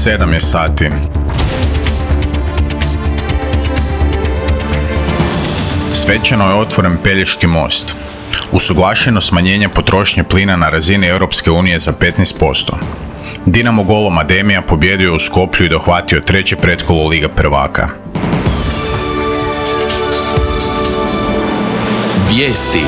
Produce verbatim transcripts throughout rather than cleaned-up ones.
sedam je sati. Svečano je otvoren Pelješki most. Usuglašeno smanjenje potrošnje plina na razini Europske unije za petnaest posto. Dinamo golom Ademija pobjedio u Skoplju i dohvatio treće pretkolo Lige prvaka. Vijesti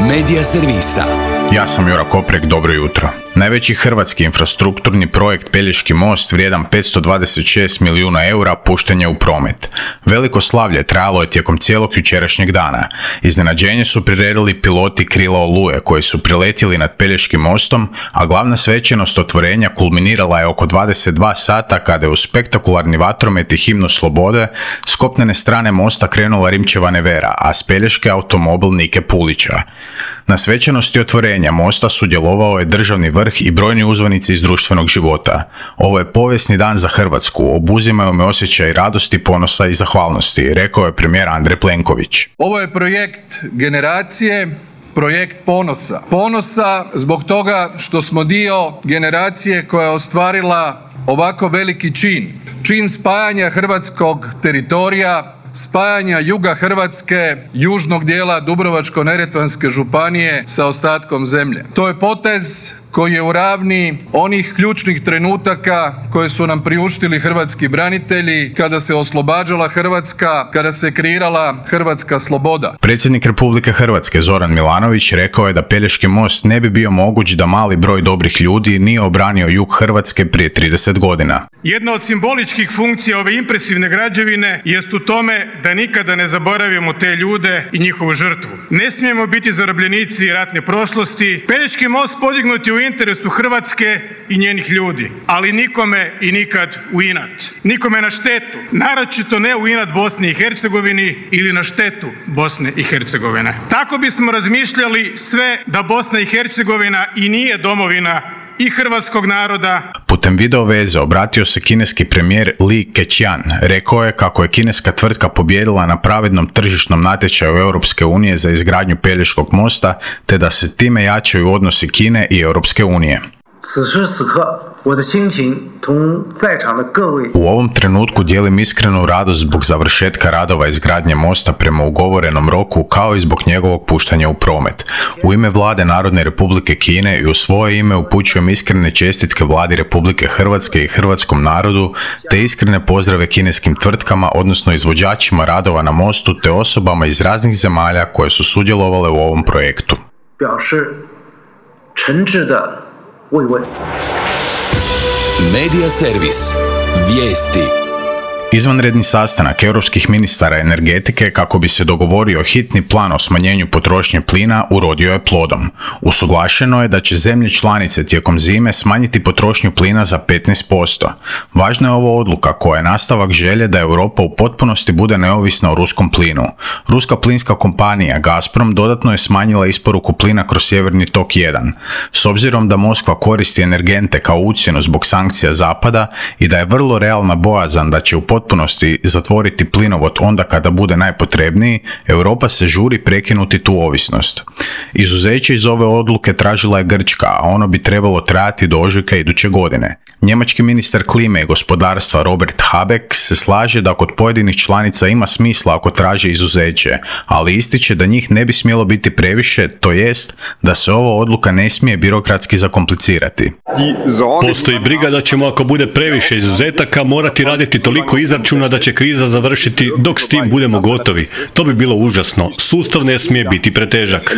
Medija servisa. Ja sam Jura Koprek, dobro jutro. Najveći hrvatski infrastrukturni projekt Pelješki most vrijedan petsto dvadeset šest milijuna eura pušten je u promet. Veliko slavlje trajalo je tijekom cijelog jučerašnjeg dana. Iznenađenje su priredili piloti Krila Oluje koji su priletjeli nad Pelješkim mostom, a glavna svečanost otvorenja kulminirala je oko dvadeset dva sata kada je u spektakularni vatromet i himnu slobode s kopnene strane mosta krenula Rimčeva Nevera, a s Pelješke automobil Nike Pulića. Na svečanosti otvorenja mosta sudjelovao je državni vrh i brojni uzvanici iz društvenog života. Ovo je povijesni dan za Hrvatsku, obuzimaju me osjećaj radosti, ponosa i zahvalnosti, rekao je premijer Andrej Plenković. Ovo je projekt generacije, projekt ponosa. Ponosa zbog toga što smo dio generacije koja je ostvarila ovako veliki čin. Čin spajanja hrvatskog teritorija, spajanja juga Hrvatske, južnog dijela Dubrovačko-neretvanske županije sa ostatkom zemlje. To je potez koji je u ravni onih ključnih trenutaka koje su nam priuštili hrvatski branitelji kada se oslobađala Hrvatska, kada se kreirala hrvatska sloboda. Predsjednik Republike Hrvatske Zoran Milanović rekao je da Pelješki most ne bi bio moguć da mali broj dobrih ljudi nije obranio jug Hrvatske prije trideset godina. Jedna od simboličkih funkcija ove impresivne građevine jest u tome da nikada ne zaboravimo te ljude i njihovu žrtvu. Ne smijemo biti zarobljenici ratne prošlosti. Pelješki most podignut je u interesu Hrvatske i njenih ljudi, ali nikome i nikad u inat. Nikome na štetu, naročito ne u inat Bosni i Hercegovini ili na štetu Bosne i Hercegovine. Tako bismo razmišljali sve da Bosna i Hercegovina i nije domovina i hrvatskog naroda. Putem video veze obratio se kineski premijer Li Keqiang. Rekao je kako je kineska tvrtka pobijedila na pravednom tržišnom natječaju Europske unije za izgradnju Pelješkog mosta, te da se time jačaju odnosi Kine i Europske unije. U ovom trenutku dijelim iskrenu radost zbog završetka radova izgradnje mosta prema ugovorenom roku, kao i zbog njegovog puštanja u promet. U ime Vlade Narodne Republike Kine i u svoje ime upućujem iskrene čestitke Vladi Republike Hrvatske i hrvatskom narodu, te iskrene pozdrave kineskim tvrtkama, odnosno izvođačima radova na mostu, te osobama iz raznih zemalja koje su sudjelovale u ovom projektu. Medija servis. Vijesti. Izvanredni sastanak europskih ministara energetike kako bi se dogovorio hitni plan o smanjenju potrošnje plina urodio je plodom. Usuglašeno je da će zemlje članice tijekom zime smanjiti potrošnju plina za petnaest posto. Važna je ovo odluka koja je nastavak želje da Europa u potpunosti bude neovisna o ruskom plinu. Ruska plinska kompanija Gazprom dodatno je smanjila isporuku plina kroz Sjeverni tok jedan. S obzirom da Moskva koristi energente kao ucjenu zbog sankcija Zapada i da je vrlo realna bojazan da će u potpunosti zatvoriti plinovod onda kada bude najpotrebniji, Europa se žuri prekinuti tu ovisnost. Izuzeće iz ove odluke tražila je Grčka, a ono bi trebalo trajati do ožujka iduće godine. Njemački ministar klime i gospodarstva Robert Habeck se slaže da kod pojedinih članica ima smisla ako traže izuzeće, ali ističe da njih ne bi smjelo biti previše, to jest da se ova odluka ne smije birokratski zakomplicirati. Postoji briga da ćemo ako bude previše izuzetaka morati raditi toliko izračuna da će kriza završiti dok s tim budemo gotovi. To bi bilo užasno. Sustav ne smije biti pretežak.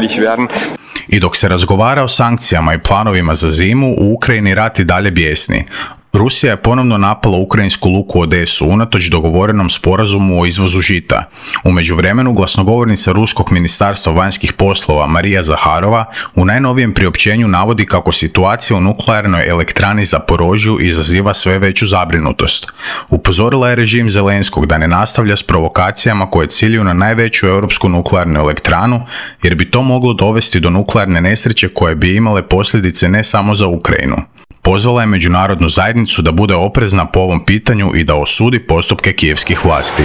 I dok se razgovara o sankcijama i planovima za zimu, u Ukrajini rat i dalje bijesni. Rusija je ponovno napala ukrajinsku luku Odesu unatoč dogovorenom sporazumu o izvozu žita. U međuvremenu glasnogovornica Ruskog ministarstva vanjskih poslova Marija Zaharova u najnovijem priopćenju navodi kako situacija u nuklearnoj elektrani Zaporožju izaziva sve veću zabrinutost. Upozorila je režim Zelenskog da ne nastavlja s provokacijama koje ciljuju na najveću europsku nuklearnu elektranu, jer bi to moglo dovesti do nuklearne nesreće koje bi imale posljedice ne samo za Ukrajinu. Pozvala je međunarodnu zajednicu da bude oprezna po ovom pitanju i da osudi postupke kijevskih vlasti.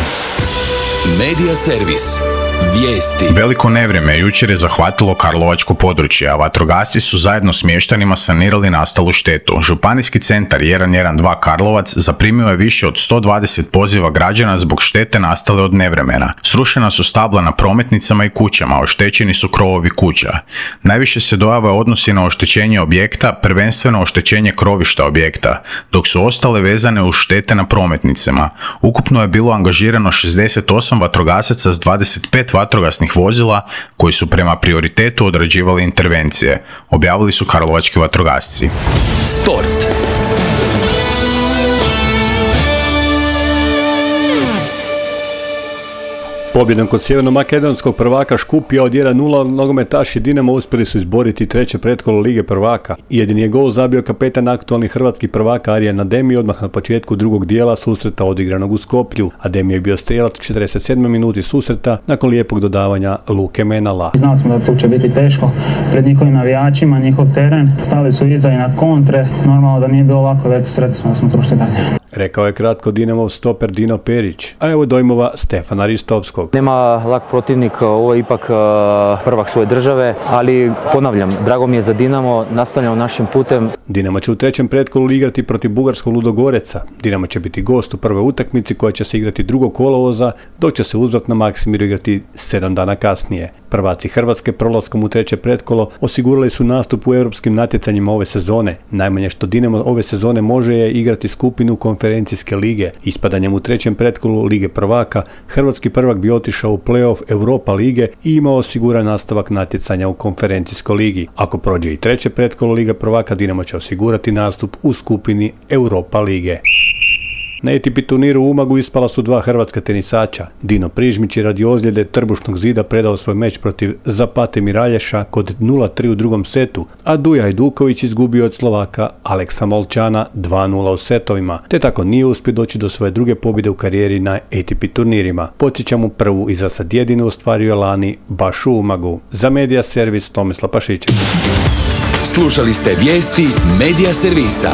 Medija servis. Vijesti. Veliko nevrijeme jučer je zahvatilo karlovačko područje, a vatrogasci su zajedno s mještanima sanirali nastalu štetu. Županijski centar jedan jedan dva Karlovac zaprimio je više od sto dvadeset poziva građana zbog štete nastale od nevremena. Srušena su stabla na prometnicama i kućama, oštećeni su krovovi kuća. Najviše se dojava odnosi na oštećenje objekta, prvenstveno oštećenje krovišta objekta, dok su ostale vezane uz štete na prometnicama. Ukupno je bilo angažirano šezdeset osam vatrogasaca s dvadeset pet vatrogasnih vozila koji su prema prioritetu odrađivali intervencije, objavili su karlovački vatrogasci. Sport. Pobjedom kod sjeverno-makedonskog prvaka Škupija od jedan nula nogometaši Dinamo uspjeli su izboriti treće pretkolo Lige prvaka. Jedini je gol zabio kapetan aktualnih hrvatskih prvaka Arjen Ademi odmah na početku drugog dijela susreta odigranog u Skoplju. Ademi je bio strijelac u četrdeset sedmoj minuti susreta nakon lijepog dodavanja Luke Menala. Znali smo da tu će biti teško pred njihovim navijačima, njihov teren. Stali su iza i na kontre. Normalno da nije bilo lako, da eto sretni smo da smo prošli dalje. Rekao je kratko Dinamov stoper Dino Perić, a evo dojmova Stefana Ristovskog. Nema lak protivnik, ovo je ipak prvak svoje države, ali ponavljam, drago mi je za Dinamo, nastavljamo našim putem. Dinamo će u trećem pretkolu igrati protiv bugarskog Ludogoreca. Dinamo će biti gost u prvoj utakmici koja će se igrati drugog kolovoza, dok će se uzvrat na Maksimiru igrati sedam dana kasnije. Prvaci Hrvatske prolaskom u treće pretkolo osigurali su nastup u europskim natjecanjima ove sezone. Najmanje što Dinamo ove sezone može je igrati skupinu konferencijske lige. Ispadanjem u trećem pretkolu Lige prvaka, hrvatski prvak bi otišao u play-off Europa lige i imao osiguran nastavak natjecanja u konferencijskoj ligi. Ako prođe i treće pretkolo Lige prvaka, Dinamo će osigurati nastup u skupini Europa lige. Na A T P turniru u Umagu ispala su dva hrvatska tenisača. Dino Prižmić je radi ozljede trbušnog zida predao svoj meč protiv Zapate Miralješa kod nula tri u drugom setu, a Duja Hajduković izgubio od Slovaka Aleksa Molčana dva nula u setovima, te tako nije uspio doći do svoje druge pobjede u karijeri na A T P turnirima. Podsjećamo, prvu i za sad jedinu ostvario je lani baš u Umagu. Za Medija servis Tomislav Pašičević. Slušali ste vijesti Medija servisa.